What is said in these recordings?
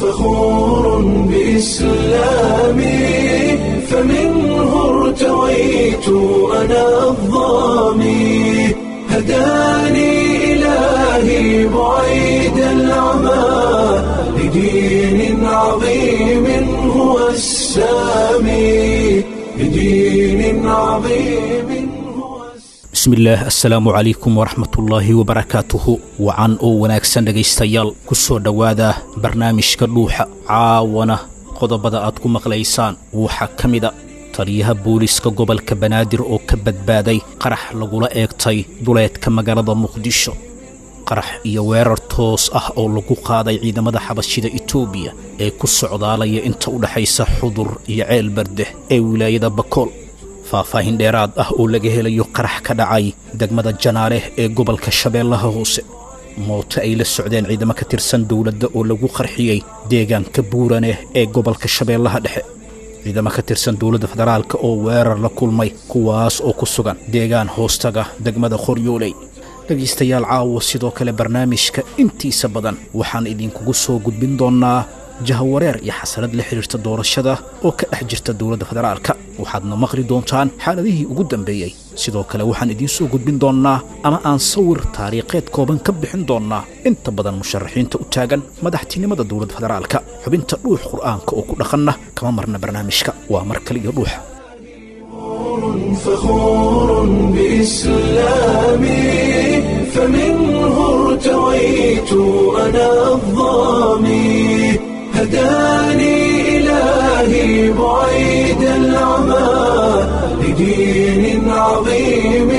فخور بإسلامي، فمنه ارتويت أنا الظامي، هداني إلهي بعيد العمى لدين عظيم هو السامي، لدين عظيم هو السامي. Bismillaah, assalaamu calaykum waraxmatullaahi wabarakaatuhu. Wacan oo wanaagsan dhegaystayaal, ku soo dhowaada barnaamijka Dhuuxa. Caawana qodobada aad ku maqlaysaan waxaa ka mida taliyaha booliska gobolka Banaadir oo ka badbaaday qarax lagula eegtay duleedka magaalada Muqdisho, qarax iyo weerar toos ah oo lagu qaaday ciidamada xabashida Itoobiya ee ku socdaalaya inta u dhexaysa Xudur iyo Ceel Bardeh ee wilaayada Bakool, faahfaahin dheeraad ah oo laga helayo qarax ka dhacay degmada Janaaleh ee gobolka Shabeellaha Hoose, mooto ay la socdeen ciidamo ka tirsan dowladda oo lagu qarxiyey deegaanka Buuraneh ee gobolka Shabeellaha Dhexe, ciidamo ka tirsan dowladda federaalka oo weerar la kulmay kuwaas oo ku sugan deegaan hoostaga degmada Qoryooley. Dhegaystayaal, caawo sidoo kale barnaamijka intiisa badan waxaan idinkugu soo gudbin doonnaa jahawareer iyo xasalad la xidhiirta doorashada oo ka dhex jirta dowladda federaalka, waxaadna maqli doontaan xaaladihii ugu dambeeyey. Sidoo kale waxaan idiin soo gudbin doonnaa ama aan sawir taariikheed kooban ka bixin doonnaa inta badan musharaxiinta u taagan madaxtinimada dowladda federaalka. Xubinta Dhuux Qur'aanka oo ku dhaqanna kama marna barnaamijka. Waa mar kale iyo Dhuuxa. فخور بإسلامي، فمنه ارتويت أنا الظامي، هداني إلهي بعيد العمى لدين عظيم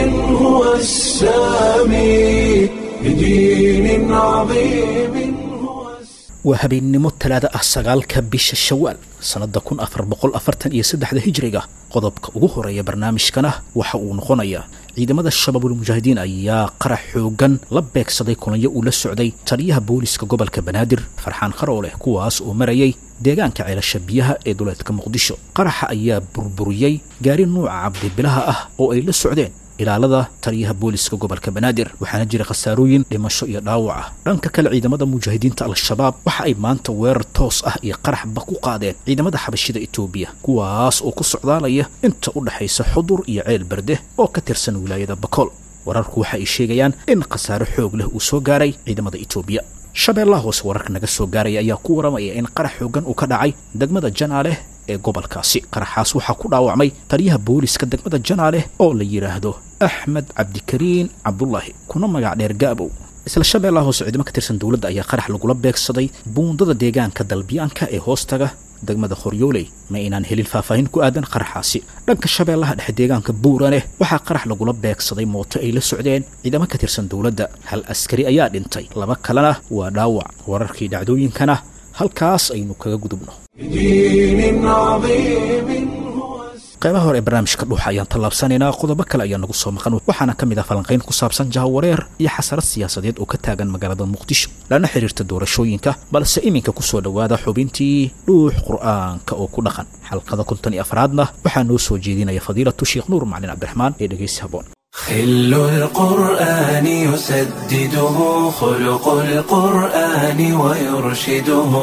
هو السامي، لدين عظيم هو السامي. Waa habeennimo Talaada ah, 9-ka bisha Shawaal, sannadda 1443-da Hijriga. Qodobka ugu horeeya barnaamijkana waxa uu noqonayaa ciidamada Shabaabul Mujaahidiin ayaa qarax xooggan la beegsaday kulanyo uu la socday taliyaha booliska gobolka Banaadir Farxaan Qarooleh, kuwaas oo marayay deegaanka Ceelasha Biyaha ee duleedka Muqdisho. Qaraxa ayaa burburiyey gaari nuuca cabdibilaha ah oo ay la socdeen ilaalada taliyaha booliska gobolka Banaadir, waxaana jira khasaarooyin dhimasho iyo dhaawac ah. Dhanka kale, ciidamada mujaahidiinta Al-Shabaab waxa ay maanta weerar toos ah iyo qaraxba ku qaadeen ciidamada xabashida Itoobiya, kuwaas oo ku socdaalaya inta u dhexaysa Xudur iyo Ceel Berde oo ka tirsan wilaayada Bakool. Wararku waxa ay sheegayaan in khasaare xoog leh uu soo gaaray ciidamada Itoobiya. Shabeellaha Hoose wararka naga soo gaaraya ayaa ku waramaya in qarax xooggan uu ka dhacay degmada Janaaleh ee gobolkaasi. Qaraxaas waxaa ku dhaawacmay taliyaha booliska degmada Janaaleh oo la yidhaahdo Axmed Cabdikariin Cabdulaahi, kuna magac dheer Gaabow. Isla Shabeellaha Hoose, ciidamo ka tirsan dowladda ayaa qarax lagula beegsaday buundada deegaanka Dalbiyaanka ee hoostaga degmada Qoryooley. Ma inaan helin faahfaahin ku aadan qaraxaasi. Dhanka Shabeellaha Dhexe, deegaanka Buuraneh, waxaa qarax lagula beegsaday mooto ay la socdeen ciidamo ka tirsan dowladda. Hal askari ayaa dhintay, laba kalena waa dhaawac. Wararkii dhacdooyinkana halkaas aynu kaga gudubno. لدين عظيم هو السامي. Qaybaha hore ee barnaamijka Dhuuxa ayaan tallaabsanaynaa. Qodobo kale ayaa nagu soo maqan, waxaana ka mid ah falanqayn ku saabsan jahawareer iyo xasarad siyaasadeed oo ka taagan magaalada Muqdisho lana xiriirta doorashooyinka, balse iminka ku soo dhowaada xubintii Dhuux Qur'aanka oo ku dhaqan. Xalqada 54-aadna waxaa noo soo jeedinaya fadiilatu Sheekh Nuur Macalin Cabdiraxmaan ee dhegaysi haboon. خل القرآن يسدده خلق القرآن ويرشده،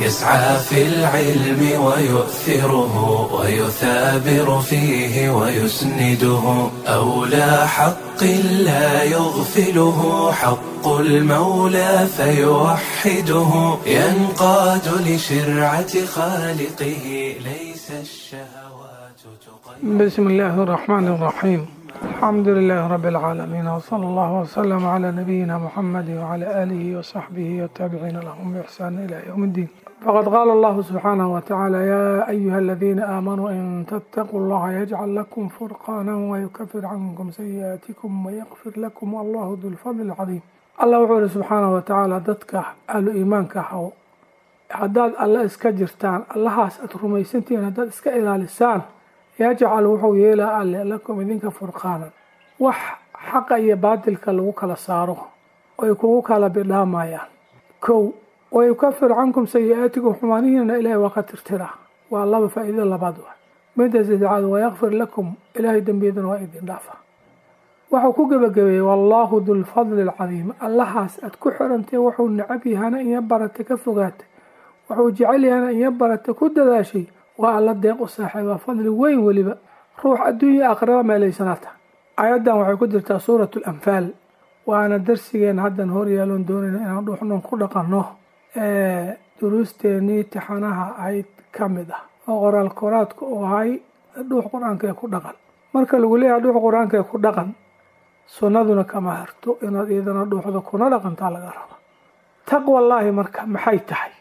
يسعى في العلم ويؤثره ويثابر فيه ويسنده، أولى حق لا يغفله حق المولى فيوحده، ينقاد لشرعة خالقه، ليس الشهوات تقيده. بسم الله الرحمن الرحيم، الحمد لله رب العالمين، وصلى الله وسلم على نبينا محمد وعلى آله وصحبه والتابعين لهم بإحسان إلى يوم الدين. فقد قال الله سبحانه وتعالى: يا أيها الذين آمنوا إن تتقوا الله يجعل لكم فرقانا ويكفر عنكم سيئاتكم ويغفر لكم والله ذو الفضل العظيم. Allah wuxuu yidhi subxaanahu watacaala: dadka ahlu iimaanka haw, haddaad Alle iska jirtaan, Allahaas aad rumaysantihiin haddaad iska ilaalisaan, yajcal wuxuu yeelaa Alle lakum idinka furqaanan, wax xaqa iyo baatilka lagu kala saaro oy kugu kala bidhaamayaan. Kow, wayukafir cankum sayi-aatikum, xumaanihiina Ilaahay waa ka tirtiraa. Waa laba faa'iido labaad. Wa midda saddexaad, wayakfir lakum, Ilaahay dembiyadana waa idin dhaafa. Wuxuu ku gebagabeeyey: wallaahu dulfadli alcadiim. Allahaas aad ku xirantay, wuxuu necab yahana iyo barata ka fogaatay. Wuxuu jecel yahayna inya barata ku dadaashay, waa alla deeq u saaxiiba fadli weyn, weliba ruux adduunya aakhiraba meelaysanaata. Aayaddan waxay ku jirtaa suuratu Alanfaal, waana darsigeen haddan horyaaloon doonayna inaan dhuuxnoon ku dhaqanno ee duruusteenii tixanaha ahayd ka mid ah, oo qoraal koraadka u ahay dhuux qur-aanka ee ku dhaqan. Marka lagu leeyahay dhuux qur-aanka ee ku dhaqan, sunnaduna kama harto, inaad iyadana dhuuxda kuna dhaqantaa laga raba. Taqwallaahi marka maxay tahay?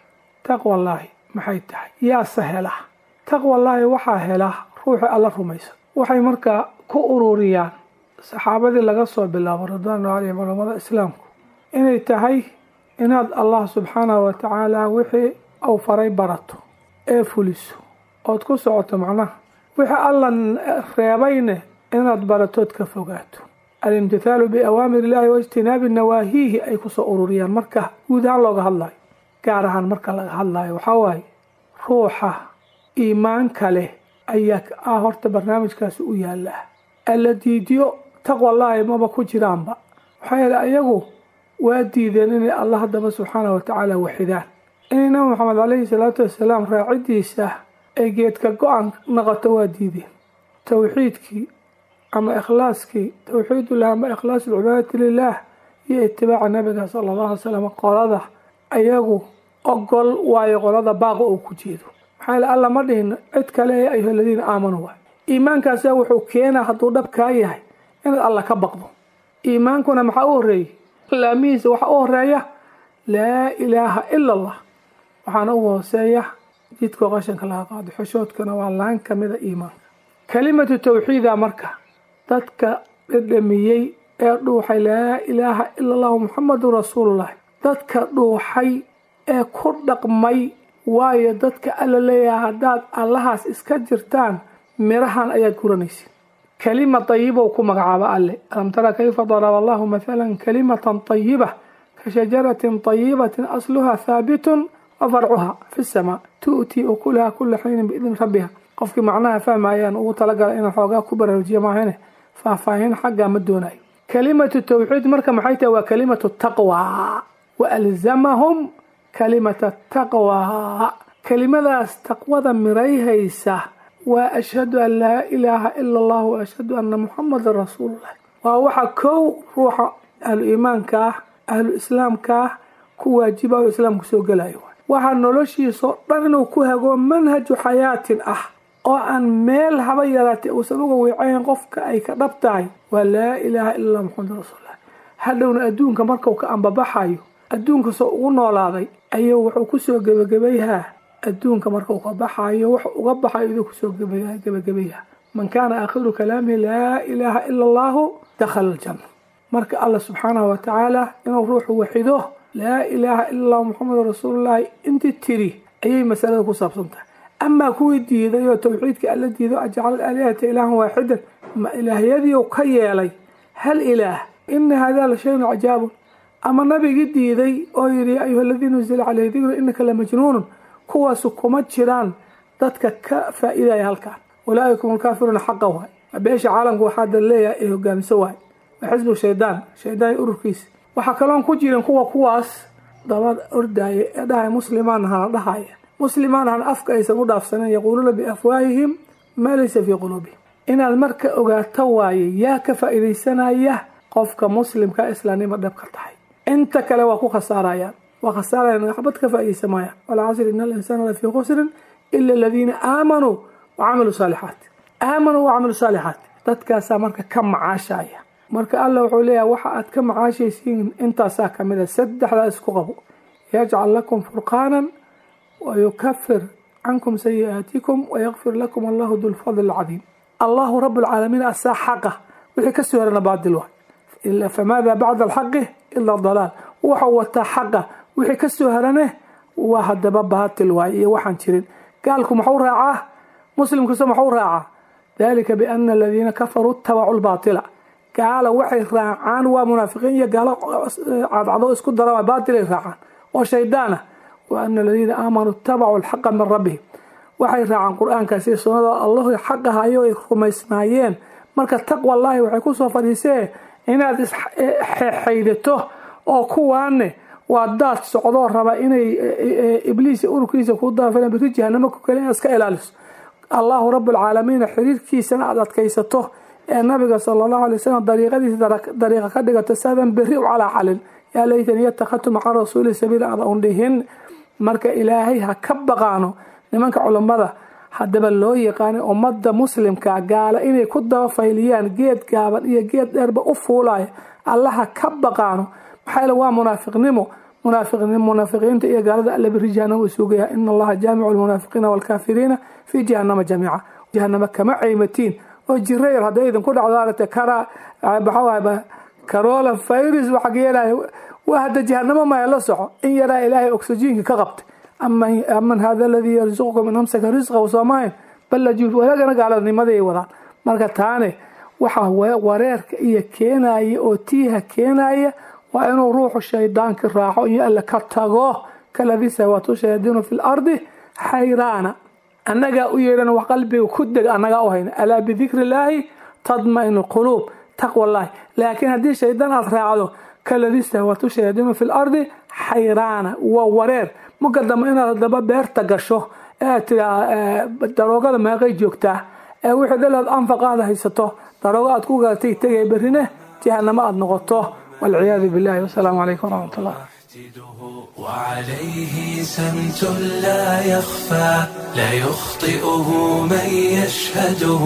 Taqwallaahi maxay tahay? Yaase hela taqwallaahi? Waxaa hela ruuxi Alla rumaysan. Waxay markaa ku ururiyaan saxaabadii laga soo bilaabo ridwaanu calayhim culamada islaamku inay tahay inaad Allah subxaanahu wa tacaala wixii uu faray barato ee fuliso ood ku socoto, macnaha wixii Alla reebayne inaad baratood ka fogaato. Alimtithaalu biawaamir illaahi wa ijtinaabi nawaahiihi ay kusoo ururiyaan marka guud ahaan looga hadlayo. Gaar ahaan marka laga hadlayo, waxaa waaye ruuxa iimaanka leh ayaa ah horta barnaamijkaasi u yaallaa. Alla diidiyo taqwallaahi maba ku jiraanba, maxaa yeele ayagu waa diideen inay Allah haddaba subxaanahu watacaala waxidaan, inay Nabi Maxamed caleyhi salaatu wasalaam raacidiisa ay geedka go-an noqoto waa diideen. Towxiidkii ama ikhlaaskii, towxiidullah ama ikhlaas alcibaadati lilah iyo itibaaca nabiga sala allahu alay slam, qolada ayagu ogol waayo qolada baaqa uu ku jeedo. Maxaa yeele Alla ma dhihin cid kale ee ayuha aladiina aamanuu waay. Iimaankaasa wuxuu keenaa hadduu dhab kaa yahay inaad Alla ka baqdo. Iimaankuna maxaa u horreeyey? Laamihiisa waxaa u horeeya laa ilaaha ila allah, waxaana ugu hooseeya jidkoo qashanka laga qaado. Xoshoodkana waa laan kamida iimaanka, kalimatu tawxiida. Marka dadka dhedhamiyey ee dhuuxay laa ilaaha ila allahu muxamadun rasuulullahi, dadka dhuuxay ee ku dhaqmay waayo dadka Alla leeyahay haddaad Allahaas iska jirtaan mirahan ayaad guranaysid. Kalima tayibow ku magacaaba Alle: alam tara kayfa daraba allahu mathalan kalimatan tayiba ka shajaratin tayibatin asluha haabitun wa farcuha fi samaa tu'tii ukulaha kula xiinin biidni rabbiha. Qofkii macnaha fahmayaan ugu talagala inaan xoogaa ku baraarujiya maahane, faahfaahin xaggaa ma doonayo. Kalimatu tawxiid marka maxay tahay? Waa kalimatu taqwa. Wa alzamahum kalimata taqwa. Kelimadaas taqwada mirayhaysa waa ashhadu an laa ilaaha ila allah wa ashhadu anna muxamadan rasuulullah. Waa waxa kow ruuxa ahlu iimaanka ah, ahlu islaamka ah ku waajiba oo islaamku soo gelayo. Waxaa noloshiisao dhan inuu ku hago manhaju xayaatin ah oo aan meel haba yaraatay uusan uga wiicayn qofka ay ka dhab tahay waa laa ilaaha ila allah muxamadan rasuulullah. Hadhowna adduunka markuu ka ambabaxayo, adduunka soo ugu noolaaday ayuu wuxuu kusoo gebagabayhaa, adduunka markuu ka baxayo wax uga baxayo iduu kusoo gebagabayhaa: man kaana aakhiru kalaamihi laa ilaaha ila allahu dakhala aljanna. Marka Alla subxaanahu watacaala inuu ruuxu waxido laa ilaaha ila allahu muxamedun rasuulullahi intii tiri ayay masalada ku saabsan tahay. Amaa kuwii diiday oo tawxiidka Alla diido, ajcala alaalihata ilaahan waaxidan, ma ilaahyadiiu ka yeelay hal ilaah, ina hada la shayun cajaabun, ama nabigii diiday oo yidhi ya ayuha aladii nuzila caleyhi dikru inaka lamajnuunun, kuwaasu kuma jiraan dadka ka faa'iidaya halkan. Ulaaika hum alkaafiruuna xaqa waay. Beesha caalamka waxaa da leeyahay ay hogaamiso waay, waa xisbu shaydaan, shaydaan ururkiisa. Waxaa kaloon ku jirin kuwa kuwaas daba ordaaya ee dhahaya muslimaan hana, dhahaya muslimaan hana, afka aysan u dhaafsanayn, yaquuluuna biafwaahihim maa laysa fii quluubihim. Inaad marka ogaato waaye yaa ka faa'iidaysanaya: qofka muslimka islaamnimo dhab ka tahay. Inta kale waa ku khasaarayaan, waa khasaarayaan, waxbad ka faa'iidaysamayaan. Walcasri ina alinsaana lafii khusrin ila aladiina aamanuu wacamiluu saalixaat. Aamanuu wacamiluu saalixaat, dadkaasaa marka ka macaashaya. Marka Alla wuxuu leeyahay waxa aad ka macaashaysiin intaasaa kamid a, saddexdaa isku qabo: yajcal lakum furqaanan wayukafir cankum sayi'aatikum wayakfir lakum, allahu du lfadl alcadiim. Allahu rab lcaalamiin asaa xaqa, wixii kasoo herana baadil waay. Famaada bacda alxaqi ila dalaal. Wuxuu wataa xaqa, wixii kasoo herane waa hadaba baatil waay iyo waxaan jirin. Gaalku maxuu raacaa? Muslimkuse maxuu raacaa? Dalika biana aladiina kafaruu itabacuu lbaatila. Gaala waxay raacaan waa munaafiqiin iyo gaalo cadcado isku dara, baatilay raacaan oo shaydaana. Wa ana aladiina aamanuu itabacuu alxaqa min rabbihim, waxay raacaan qur-aankaas iyo sunnada Allahu xaqa hayo ay rumaysnaayeen. Marka taqwallaahi waxay kusoo fadhiisee inaad isxaydato oo kuwaane Waa daad socdoo raba inay ibliis ururkiisa ku daafeen, biri jahanamo ku kale inaad iska ilaaliso. Allahu rabbulcaalamiin xiriirkiisana aada adkaysato, ee nabiga sala allahu alay wasalam dariiqadiisa dariiqa ka dhigato, saadan berri u calaacalin yaa laytani yattakhadtu maca rasuuli sabiila aada un dhihin. Marka Ilaahay ha ka baqaano nimanka culammada haddaba loo yaqaanay ummadda muslimka gaala inay ku daba fayliyaan, geed gaaban iyo geed dheerba u fuulaya. Allaha ka baqaano, maxaa yeele waa munaafiqnimo. Munaafiqiinta iyo gaalada Alla biri jahanama isuugaya. Ina Allaha jaamicu lmunaafiqiina waalkaafiriina fii jahanama jamiica. Jahanama kama caymatiin oo jiro yar hadday idinku dhacdo, aragtay kara maxaa corona virus waxa ka yeelaya, waa hadda jahanamo maya la soco. In yaraa Ilaahay oxygenka ka qabtay. Aman hada aladii yarzuqukum in amsaka risqahu, soomahayn bal lajuuf walagana gaaladnimaday wadaan. Marka taane waxa wareerka iyo keenaya oo tiiha keenaya waa inuu ruuxu shaydaanka raaco iyo Alle ka tago. Kaladii sahwatu shayaadiinu fi lardi xayraana. Annagaa u yeedhan wax qalbiga ku deg, annagaa u hayna. Alaa bidikri illaahi tadmainu lquluub, taqwa llahi. Laakiin haddii shaydaan aad raacdo, kaladii sahwatu shayaadiinu fi lardi xayraana, waa wareer. Marka dambe inaad haddaba beerta gasho ee aad tiraa daroogada meeqay joogtaa, ee wixii dhal aad anfaqaada haysato daroogo aad ku galatay tegay, berrine jahanamo aad noqoto, walciyaadu billahi. Wasalaamu calaykum waraxmat ullah. وعليه سمت لا يخفى، لا يخطئه من يشهده،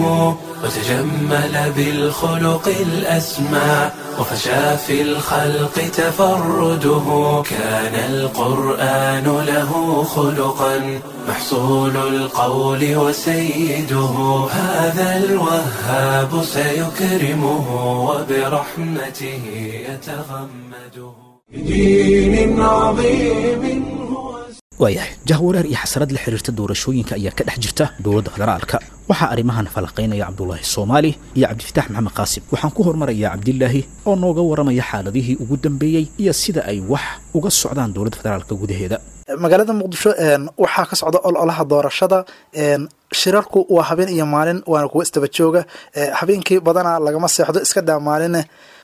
وتجمل بالخلق الأسمى، وفشى في الخلق تفرده. كان القرآن له خلقا، محصول القول وسيده. هذا الوهاب سيكرمه، وبرحمته يتغمده. بدين عظيم هو. Waayahay, jahwareer iyo xasarad la xiriirta doorashooyinka ayaa ka dhex jirta dowladda federaalka. Waxaa arrimahan falaqaynaya Cabdulaahi Soomaali iyo Cabdifitaax Maxamed Qaasim. Waxaan ku hormarayaa Cabdilaahi oo nooga waramaya xaaladihii ugu dambeeyey iyo sida ay wax uga socdaan dowladda federaalka gudaheeda. Magaalada Muqdisho waxaa ka socda ololaha doorashada. Shirarku waa habeen iyo maalin, waana kuwa istaba jooga. Habeenkii badanaa lagama seexdo, iska daa maaline.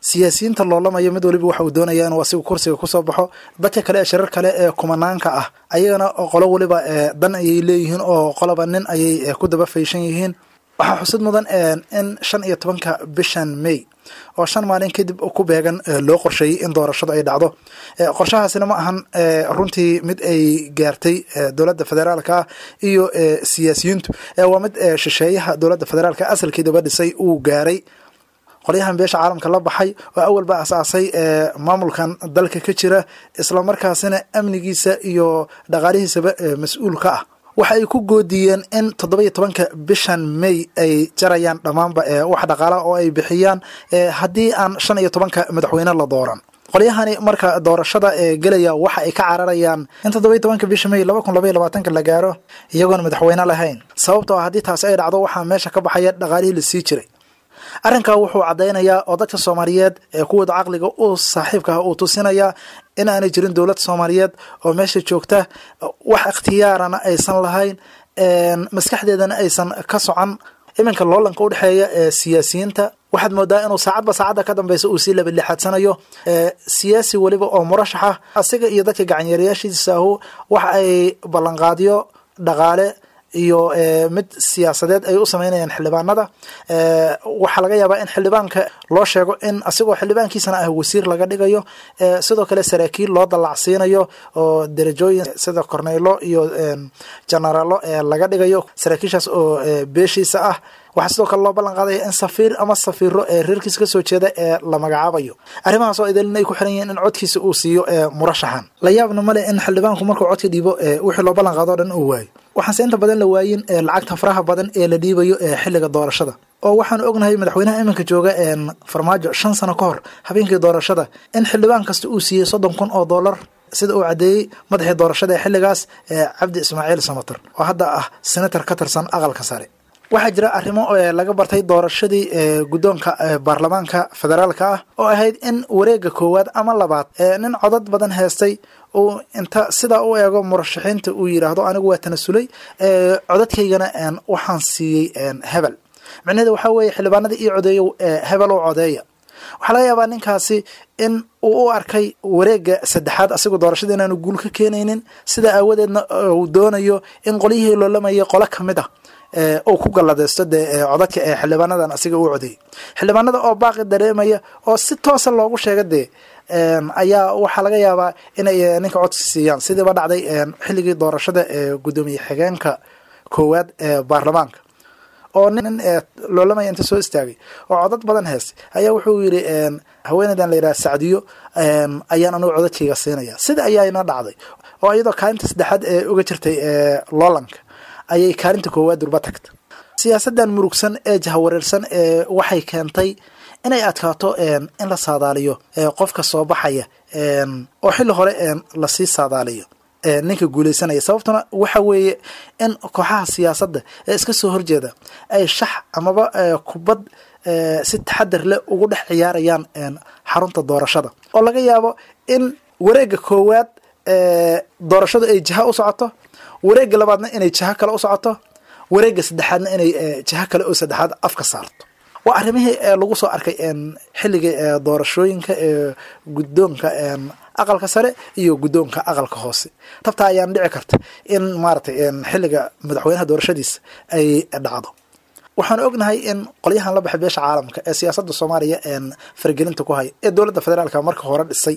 Siyaasiyiinta loolamayo mid waliba waxa uu doonaya inuu asigu kursiga kusoo baxo. Dadka kale ee shirar kale ee kumanaanka ah ayagana qolo waliba dan ayay leeyihiin oo qoloba nin ayay ku daba fayshan yihiin. Waxaa xusid mudan in 15-ka bishan May oo 5 maalin kadib ku beegan loo qorsheeyey in doorashadu ay dhacdo. Qorshahaasina ma ahan runtii mid ay gaartay dowladda federaalka iyo siyaasiyiintu, waa mid shisheeyaha dowladda federaalka asalkeedaba dhisay uu gaaray. Qolyahan beesha caalamka la baxay oo awalba asaasay maamulkan dalka ka jira, islamarkaasina amnigiisa iyo dhaqaalihiisaba mas-uul ka ah, waxa ay ku goodiyeen in 17-ka bishan May ay jarayaan dhammaanba wax dhaqaalaha oo ay bixiyaan haddii aan 15-ka madaxweyne la dooran. Qolyahani marka doorashada ee gelaya waxa ay ka cararayaan in 17-ka bisha May 2022-ka la gaaro iyagoon madaxweyne lahayn, sababtoo ah haddii taasi ay dhacdo waxaa meesha ka baxaya dhaqaalihii la sii jiray. Arrinkaa wuxuu caddaynayaa oo dadka Soomaaliyeed ee kuwooda caqliga u saaxiibka ah uu tusinayaa in aanay jirin dowlad Soomaaliyeed oo meesha joogta, wax ikhtiyaarana aysan lahayn, maskaxdeedana aysan ka socon. Iminka loolanka udhexeeya ee siyaasiyiinta waxaad moodaa inuu saacadba saacadda ka dambeysa uu sii labalixaadsanayo. Siyaasi weliba oo murashaxa asiga iyo dadka gacanyaerayaashiisa ahu waxa ay ballanqaadyo dhaqaale iyo mid siyaasadeed ay u sameynayaan xildhibaanada. Waxaa laga yaabaa in xildhibaanka loo sheego in asigoo xildhibaankiisana ah wasiir laga dhigayo, sidoo kale saraakiil loo dallacsiinayo oo derajooyin sida korneylo iyo generaalo laga dhigayo, saraakiishaas oo beeshiisa ah. Waxaa sidoo kale loo ballan qaadaya in safiir ama safiiro ee reerkiisa kasoo jeeda ee la magacaabayo. Arrimahaas oo idilin ay ku xiran yihiin in codkiisa uu siiyo murashaxan. La yaabna male in xildhibaanku markuu codka dhiibo wixii loo ballan qaado o dhan uu waayo. Waxaanse inta badan la waayin lacagta faraha badan ee la dhiibayo xilliga doorashada, oo waxaanu ognahay madaxweynaha iminka jooga Farmaajo 5 sano ka hor habeenkii doorashada in xildhibaan kasta uu siiyey $30,000, sida uu caddeeyey madaxii doorashada ee xilligaas Cabdi Ismaaciil Samater oo hadda ah senator ka tirsan aqalka sare. Waxaa jira arrimo laga bartay doorashadii guddoonka baarlamaanka federaalka ah oo ahayd in wareega koowaad ama labaad nin codad badan heestay uu inta sidaa u eego murashaxiinta uu yidhaahdo anigu waa tanasulay, codadkaygana waxaan siiyey hebel. Micnaheeda waxaa weeye xildhibaanada ii codeeyo hebel oo codeeya. Waxaa laga yaabaa ninkaasi in uu u arkay wareegga saddexaad asigoo doorashada inaanu guul ka keenaynin, sida aawadeedna uu doonayo in qolyihii loolamayay qolo ka mid ah uu ku galladaysto dee codadka ee xildhibaanadan asiga u codeeyey. Xildhibaanada oo baaqi dareemaya oo si toosa loogu sheega dee ayaa waxaa laga yaabaa inay ninka codsi siiyaan, sidiiba dhacday xilligii doorashada ee guddoomiye xigeenka koowaad ee baarlamaanka, oo nin loolamaya inta soo istaagay oo codad badan heestay ayaa wuxuu yidhi haweeneydan la yidhaha Sacdiyo ayaan anugu codadkayga siinaya. Sida ayaana dhacday oo iyadoo kaalinta saddexaad ee uga jirtay loolanka ayay kaalinta koowaad durba tagta. Siyaasaddan murugsan ee jahawareersan ee waxay keentay inay adkaato in la saadaaliyo qofka soo baxaya, oo xilli hore lasii saadaaliyo ninka guuleysanaya. Sababtuna waxa weeye in kooxaha siyaasadda ee iska soo horjeeda ay shax amaba kubad si taxadar leh ugu dhex ciyaarayaan xarunta doorashada, oo laga yaabo in wareegga koowaad doorashadu ay jiha u socoto, wareegga labaadna inay jiho kale u socoto, wareegga saddexaadna inay jiho kale oo saddexaad afka saarto. Waa arrimihii lagu soo arkay xilligii doorashooyinka ee guddoonka aqalka sare iyo guddoonka aqalka hoose. Tabtaa ayaan dhici karta in maaragtay xilliga madaxweynaha doorashadiisa ay dhacdo. Waxaan ognahay in qolyahan la baxay beesha caalamka ee siyaasadda Soomaaliya faragelinta ku haya ee dowladda federaalka marka hore dhisay,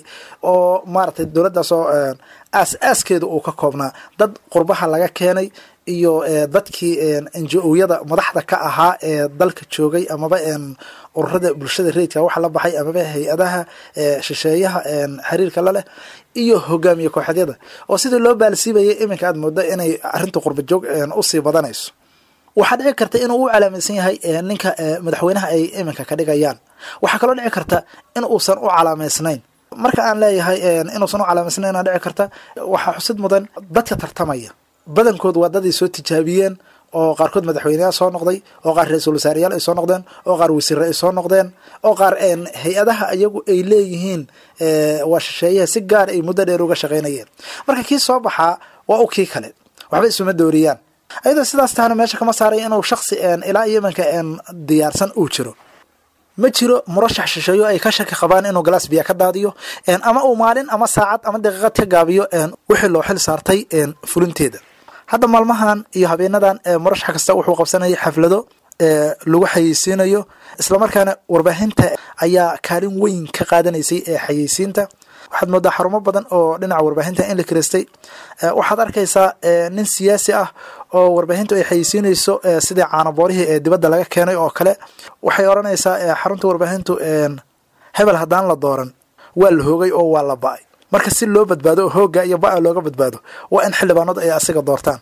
oo maaragtay dowladdaasoo aas-aaskeeda uu ka koobnaa dad qurbaha laga keenay iyo dadkii NGO-yada madaxda ka ahaa ee dalka joogay, amaba ururada bulshada rayidka waxa la baxay, amaba hay-adaha shisheeyaha xiriirka la leh, iyo hogaamiye kooxeedyada, oo sidii loo baalsiibayay iminka aad mooda inay arrinta qurba joog usii badanayso. Waxaa dhici karta inuu u calaamaysan yahay ninka madaxweynaha ay iminka ka dhigayaan. Waxaa kaloo dhici karta in uusan u calaamaysnayn. Marka aan leeyahay inuusan u calaamaysnayn dhici karta, waxaa xusid mudan dadka tartamaya badankood waa daday soo tijaabiyeen, oo qaarkood madaxweyneyaal soo noqday, oo qaar ra-iisul wasaareyaal ay soo noqdeen, oo qaar wasiire ay soo noqdeen, oo qaar hay-adaha iyagu ay leeyihiin waa shisheeyaha si gaar ay muddo dheer uga shaqaynayeen. Marka kii soo baxaa waa u kii kale, waxba isuma dooriyaan. Ayadoo sidaas tahana meesha kama saaray inuu shaksi ilaa iyo imanka diyaarsan uu jiro. Ma jiro murashax shisheeyo ay ka shaki qabaan inuu galaas biya ka daadiyo, ama uu maalin ama saacad ama daqiiqad ka gaabiyo wixii loo xil saartay fulinteeda. Hadda maalmahan iyo habeenadan murashax kasta wuxuu qabsanayay xaflado lagu xayeysiinayo, islamarkaana warbaahinta ayaa kaalin weyn ka qaadanaysay ee xayeysiinta. Waxaad moodaa xarumo badan oo dhinaca warbaahinta in la kireystay. Waxaad arkaysaa nin siyaasi ah oo warbaahintu ay xayeysiinayso sidii caanaboorihii ee dibadda laga keenay oo kale. Waxay odhanaysaa xarunta warbaahintu, hebel haddaan la dooran waa la hoogay oo waa la ba'ay. Marka si loo badbaado oo hoogga iyo ba'a looga badbaado waa in xildhibaanadu ay asiga doortaan.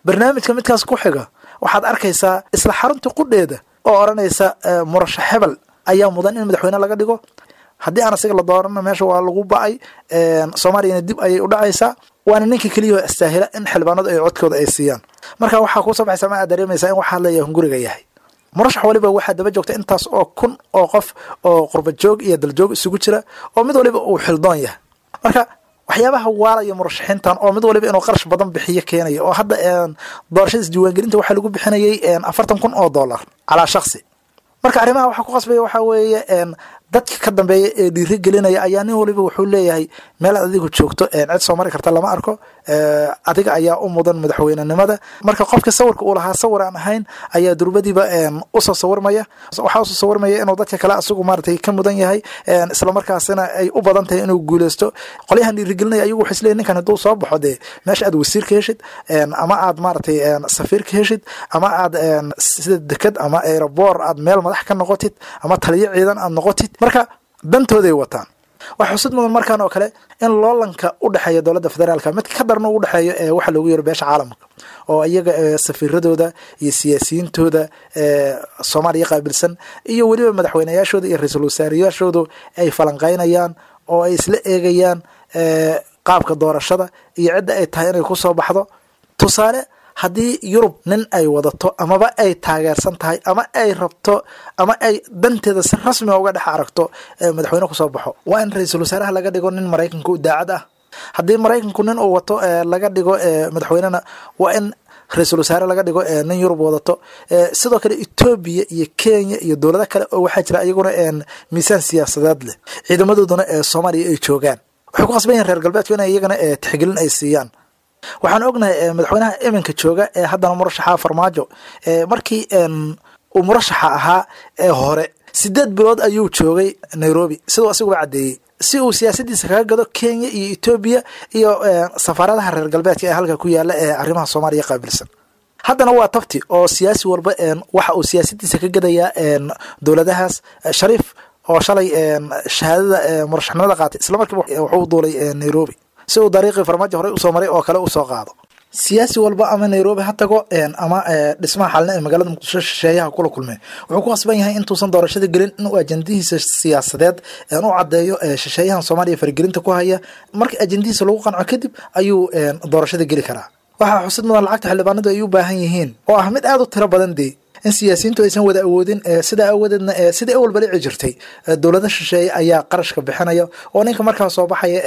Barnaamijka midkaas ku xiga waxaad arkaysaa isla xarunta qudheeda oo odhanaysa murashax hebel ayaa mudan in madaxweyne laga dhigo, haddii aan asiga la doorana meesha waa lagu ba'ay, Soomaaliyana dib ayay u dhacaysaa, waana ninka keliyaho astaahila in xildhibaanadu ay codkooda ay siiyaan. Marka waxaa kuusoo baxaysa ma aad dareemaysaa in waxaa leeyahay hunguriga yahay murashax waliba waxaa daba joogta intaas oo kun oo qof oo qurba joog iyo daljoog isugu jira, oo mid waliba uu xildoon yahay. Marka waxyaabaha waalaya murashaxiintan oo mid waliba inuu qarash badan bixiyo keenaya, oo hadda doorashada isdiiwaangelinta waxaa lagu bixinayay 40,000 oo dollar calaa shaksi. Marka arrimaha waxaa ku qasbaya waxaa weeye dadka ka dambeeya ee dhiiri gelinaya ayaa nin waliba wuxuu leeyahay meel aad adigu joogto cid soo mari karta lama arko, adiga ayaa u mudan madaxweynenimada. Marka qofka sawirka uu lahaa sawir aan ahayn ayaa durbadiiba usoo sawirmaya. Waxaa usoo sawirmaya inuu dadka kale asigu maaratay ka mudan yahay, islamarkaasina ay u badan tahay inuu guuleysto. Qolyahan dhiirigelinaya ayagu waxay isleeyihin ninkan hadduu soo baxo dee meesha aad wasiir ka heshid, ama aad maaratay safiir ka heshid, ama aad sida deked ama aeroboor aad meel madax ka noqotid, ama taliyo ciidan aad noqotid. Marka dantooday wataan. Waxaa xusid mudan markaan oo kale in loolanka u dhexeeya dowladda federaalka mid ka darna u dhexeeyo ee waxa loogu yeero beesha caalamka, oo iyaga safiiradooda iyo siyaasiyiintooda Soomaaliya qaabilsan iyo weliba madaxweyneyaashooda iyo ra-iisul wasaarayaashoodu ay falanqeynayaan oo ay isla eegayaan qaabka doorashada iyo cidda ay tahay inay kusoo baxdo. Tusaale, haddii Yurub nin ay wadato amaba ay taageersan tahay ama ay rabto ama ay danteeda si rasmiga uga dhex aragto madaxweyne kusoo baxo, waa in ra-iisul wasaaraha laga dhigo nin Maraykanka u daacad ah. Haddii Maraykanku nin uu wato laga dhigo madaxweynena, waa in ra-iisul wasaare laga dhigo nin Yurub wadato. Sidoo kale Etoobiya iyo Kenya iyo dowlado kale oo waxaa jira iyaguna miisaan siyaasadeed leh, ciidamadooduna ee Soomaaliya ay joogaan. Waxay ku qasban yihin reer galbeedku inay iyagana tixgelin ay siiyaan. Waxaan ognahay madaxweynaha iminka jooga ee haddana murashaxa, Farmaajo, markii uu murashaxa ahaa ee hore 8 bilood ayuu joogay Nairobi, siduu asiguba caddeeyey, si uu siyaasadiisa kaga gado Kenya iyo Etoobiya iyo safaaradaha reer galbeedka ee halka ku yaala ee arrimaha Soomaaliya qaabilsan. Haddana waa tabti oo siyaasi walba waxa uu siyaasadiisa ka gadayaa dowladahaas. Shariif oo shalay shahaadada murashaxnimada qaatay, isla markiiba wuxuu duulay Nairobi si uu dariiqii Farmaajo horey usoo maray oo kale usoo qaado. Siyaasi walba ama Nairobi ha tago ama dhismaha Xalna ee magaalada Muqdisho shisheeyaha kula kulmeen, wuxuu ku qasban yahay intuusan doorashada gelin inuu ajandihiisa siyaasadeed u caddeeyo shisheeyahan Soomaaliya faragelinta ku haya. Marka ajandihiisa lagu qanco kadib ayuu doorashada geli karaa. Waxaa xusid mudan lacagta xildhibaanadu ay u baahan yihiin oo ah mid aada u tiro badan dee in siyaasiyiintu aysan wada awoodin. Sidaa awadeedna, sidai awalba dhici jirtay, dowlada shisheeye ayaa qarashka bixinaya oo ninka markaa soo baxaya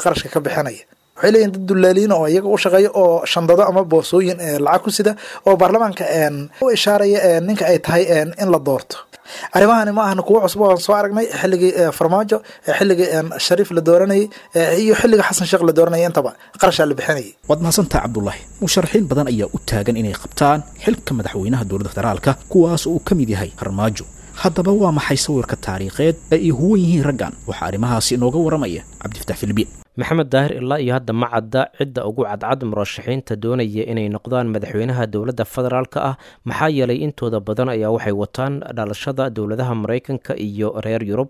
qarashka ka bixinaya. Waxay leeyihin dad dullaaliin oo iyaga u shaqeeya oo shandado ama boorsooyin lacag ku sida oo baarlamaanka u ishaaraya ninka ay tahay in la doorto. Arrimahani ma ahna kuwo cusub oon soo aragnay xilligii Farmaajo, xilligii Shariif la dooranayay iyo xilliga Xasan Sheekh la dooranayay, intaba qarashaa la bixinayay. Waad mahadsantaha, Cabdulaahi. Musharaxiin badan ayaa u taagan inay qabtaan xilka madaxweynaha dowladda federaalka, kuwaas oo uu ka mid yahay Farmaajo. Haddaba waa maxay sawirka taariikheed ee ay huwan yihiin raggan? Waxaa arrimahaasi inooga waramaya Cabdifatax Filbiin. Maxamed Daahir, ilaa iyo hadda ma cadda cidda ugu cadcad murashaxiinta doonaya inay noqdaan madaxweynaha dowladda federaalka ah, maxaa yeelay intooda badan ayaa waxay wataan dhalashada dowladaha Maraykanka iyo reer Yurub.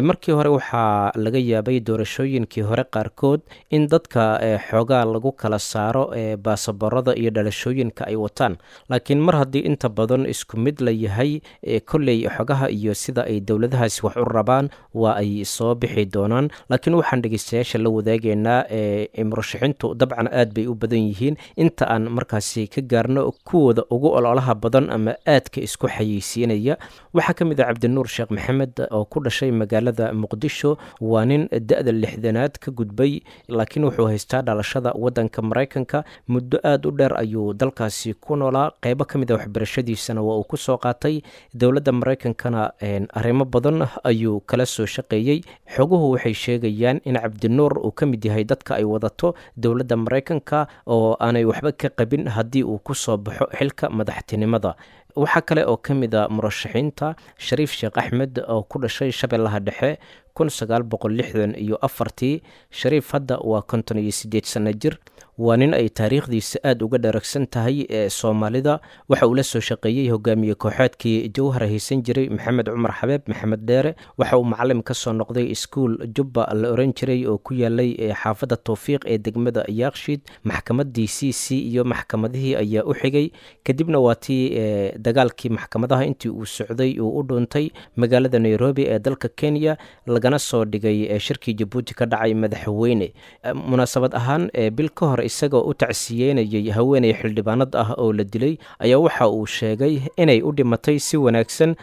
Markii hore waxaa laga yaabay doorashooyinkii hore qaarkood in dadka xoogaa lagu kala saaro baasaboorada iyo dhalashooyinka ay wataan, laakiin mar haddii inta badan isku mid la yahay, kolley xogaha iyo sida ay dowladahaasi wax u rabaan waa ay soo bixi doonaan. Laakiin waxaan dhegeystayaasha la wadaageynaa, murashaxiintu dabcan aad bay u badan yihiin, inta aan markaasi ka gaarno kuwooda ugu ololaha badan ama aadka isku xayeysiinaya waxaa ka mid ah Cabdinuur Sheekh Maxamed oo ku dhashay magaalada Muqdisho. Waa nin da-da 60aad ka gudbay, laakiin wuxuu haystaa dhalashada wadanka Maraykanka. Muddo aad u dheer ayuu dalkaasi ku noolaa, qeybo ka mid a waxbarashadiisana waa uu kusoo qaatay dowladda Maraykankana, arrimo badan ayuu kala soo shaqeeyey. Xoguhu waxay sheegayaan in Cabdinuur uu ka mid yahay dadka ay wadato dowladda Maraykanka oo aanay waxba ka qabin haddii uu ku soo baxo xilka madaxtinimada. Waxaa kale oo ka mid a murashaxiinta Shariif Sheekh Axmed oo ku dhashay Shabeellaha Dhexe 1964-tii. Shariif hadda waa 58 sano jir. Waa nin ay taariikhdiisa aada uga dharagsan tahay ee Soomaalida. Waxa uu la soo shaqeeyey hogaamiye kooxeedkii Jowhar haysan jiray, Maxamed Cumar Xabeeb, Maxamed Dheere. Waxa uu macalim ka soo noqday iskuul Jubba la oran jiray oo ku yaalay xaafadda Towfiiq ee degmada Yaakshiid. Maxkamadii c c iyo maxkamadihii ayaa u xigay. Kadibna waa tii dagaalkii maxkamadaha intii uu socday uu u dhuuntay magaalada Nairobi ee dalka Kenya, lagana soo dhigay shirkii Jabuuti ka dhacay madaxweyne. Munaasabad ahaan, bil ka hor isagoo u tacsiyeynayay haweeney xildhibaanad ah oo la dilay ayaa waxa uu sheegay inay u dhimatay si wanaagsan,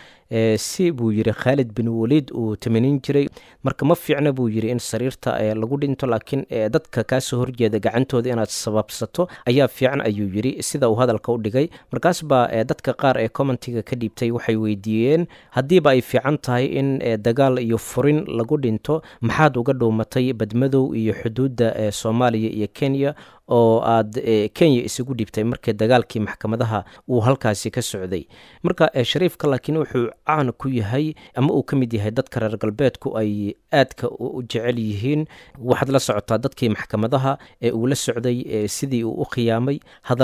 si buu yidhi Khaalid bin Waliid uu tamanin jiray. Marka ma fiicna buu yidhi in sariirta lagu dhinto, laakiin dadka kaasoo horjeeda gacantooda inaad sababsato ayaa fiican, ayuu yidhi, sida uu hadalka u dhigay. Markaas baa dadka qaar ee commentiga ka dhiibtay waxay weydiiyeen, haddiiba ay fiican tahay in dagaal iyo furin lagu dhinto, maxaad uga dhuumatay Badmadow iyo xuduudda Soomaaliya iyo Kenya oo aad Kenya isugu dhibtay markii dagaalkii maxkamadaha uu halkaasi ka socday? Marka Shariifka laakiin wuxuu caan ku yahay ama uu ka mid yahay dadka reer galbeedku ay aadka u jecel yihiin. Waxaad la socotaa dadkii maxkamadaha ee uu la socday sidii uu u khiyaamay,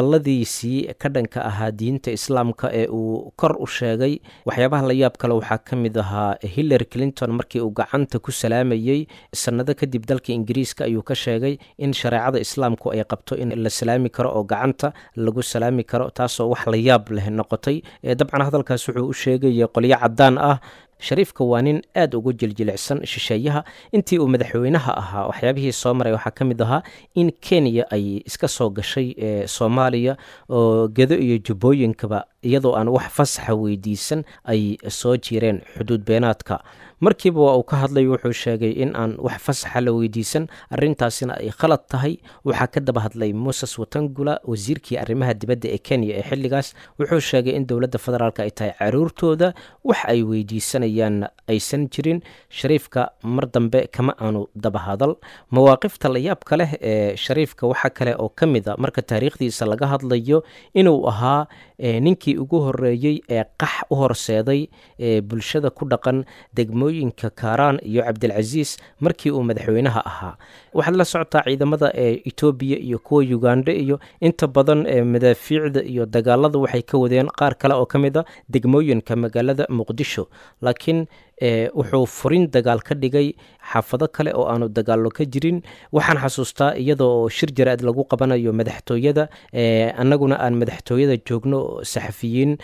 hadalladiisii ka dhanka ahaa diinta islaamka ee uu kor u sheegay. Waxyaabaha la yaab kale waxaa ka mid ahaa Hillary Clinton markii uu gacanta ku salaamayey sannado kadib dalka Ingiriiska ayuu ka sheegay in shareecada islaamku ay qabto in la salaami karo oo gacanta lagu salaami karo, taasoo wax la yaab leh noqotay. Dabcan hadalkaas wuxuu u sheegaya qolyo caddaan ah. Shariifka waa nin aad ugu jiljilicsan shisheeyaha. Intii uu madaxweynaha ahaa waxyaabihii soo maray waxaa ka mid ahaa in Kenya ay iska soo gashay Soomaaliya oo Gedo iyo Jubbooyinkaba iyadoo aan wax fasaxa weydiisan ay soo jireen xuduud beenaadka. Markiiba waa uu ka hadlay, wuxuu sheegay in aan wax fasaxa la weydiisan, arrintaasina ay khalad tahay. Waxaa ka daba hadlay Moses Watangula, wasiirkii arrimaha dibadda ee Kenya ee xilligaas. Wuxuu sheegay in dowladda federaalk ay tahay caruurtooda, wax ay weydiisanayaan aysan jirin. Shariifka mar dambe kama aanu daba hadal. Mawaaqifta layaabka leh ee Shariifka waxaa kale oo ka mid a, marka taariikhdiisa laga hadlayo, inuu ahaa ninkii ugu horeeyey ee qax u horseeday ee bulshada ku dhaqan degmooyinka Kaaraan iyo Cabdilcasiis markii uu madaxweynaha ahaa. Waxaad la socotaa ciidamada ee Etoobiya iyo kuwa Uganda iyo inta badan ee madaafiicda iyo dagaalada waxay ka wadeen qaar kale oo ka mid a degmooyinka magaalada Muqdisho, laakiin wuxuu furin dagaal ka dhigay xaafado kale oo aanu dagaallo ka jirin. Waxaan xasuustaa iyadoo shir jaraa'id lagu qabanayo madaxtooyada, annaguna aan madaxtooyada joogno saxafiyiin,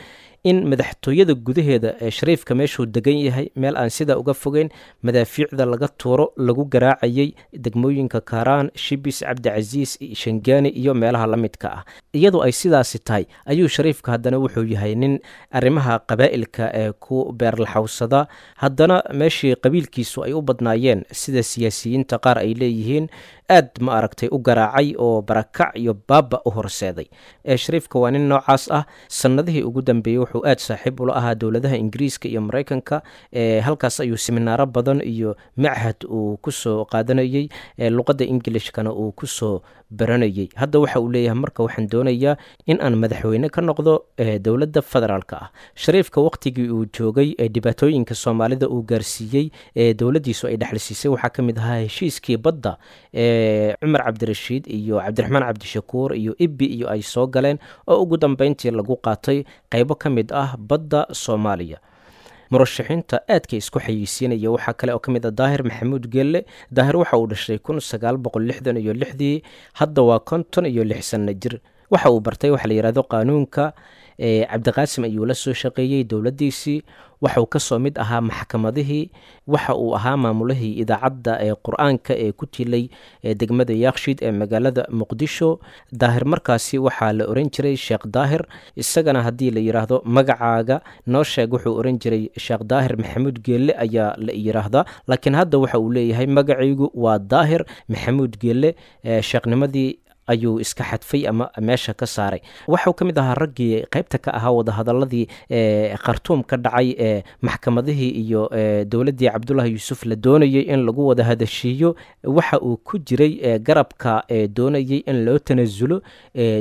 in madaxtooyada gudaheeda ee Shariifka meeshuu degan yahay meel aan sidaa uga fogeyn madaafiicda laga tuuro lagu garaacayay degmooyinka Kaaraan, Shibis, Cabdicasiis, Shangaani iyo meelaha la midka ah. Iyadoo ay sidaasi tahay ayuu Shariifka haddana wuxuu yahay nin arrimaha qabaa'ilka ee ku beerlaxawsada. Haddana meeshii qabiilkiisu ay u badnaayeen, sida siyaasiyiinta qaar ay leeyihiin, aad ma aragtay u garaacay oo barakac iyo baaba u horseeday. Shariifka waa nin noocaas ah. Sanadihii ugu dambeeyey wuxuu aad saaxiib ula ahaa dowladaha Ingiriiska iyo Maraykanka. Halkaas ayuu seminaaro badan iyo machad uu kusoo qaadanayey, luqadda Ingilishkana uu kusoo baranayey. Hadda waxa uu leeyahay marka waxaan doonayaa in aan madaxweyne ka noqdo dowladda federaalka ah. Shariifka waqtigii uu joogay ee dhibaatooyinka Soomaalida uu gaarsiiyey ee dowladdiisu ay dhexalsiisay waxaa ka mid ahaa heshiiskii badda ee Cumar Cabdirashiid iyo Cabdiraxmaan Cabdishakuur iyo Ibbi iyo ay soo galeen, oo ugu dambeyntii lagu qaatay qaybo ka mid ah badda Soomaaliya. Murashaxiinta aadka isku xayeysiinaya waxaa kale oo ka mid ah Daahir Maxamuud Gelle. Daahir waxa uu dhashay 1966-dii, hadda waa 56 sanno jir. Waxa uu bartay waxa la yidhahdo qaanuunka. Cabdiqaasim ayuu la soo shaqeeyey dowladdiisii, waxauu kasoo mid ahaa maxkamadihii, waxa uu ahaa maamulihii idaacadda ee Qur-aanka ee ku tilay degmada Yakshiid ee magaalada Muqdisho. Daahir markaasi waxaa la oran jiray Sheekh Daahir. Isagana haddii la yidhaahdo magacaaga noo sheeg, wuxuu oran jiray Sheekh Daahir Maxamuud Geelle ayaa la yidhaahdaa, laakiin hadda waxa uu leeyahay magacaygu waa Daahir Maxamuud Geelle. Sheekhnimadii ayuu iska xadfay ama meesha ka saaray. Waxuu ka mid ahaa raggii qaybta ka ahaa wadahadaladii Khartuum ka dhacay ee maxkamadihii iyo dowladdii Cabdullahi Yuusuf la doonayey in lagu wada hadashiiyo. Waxa uu ku jiray garabka doonayey in loo tanasulo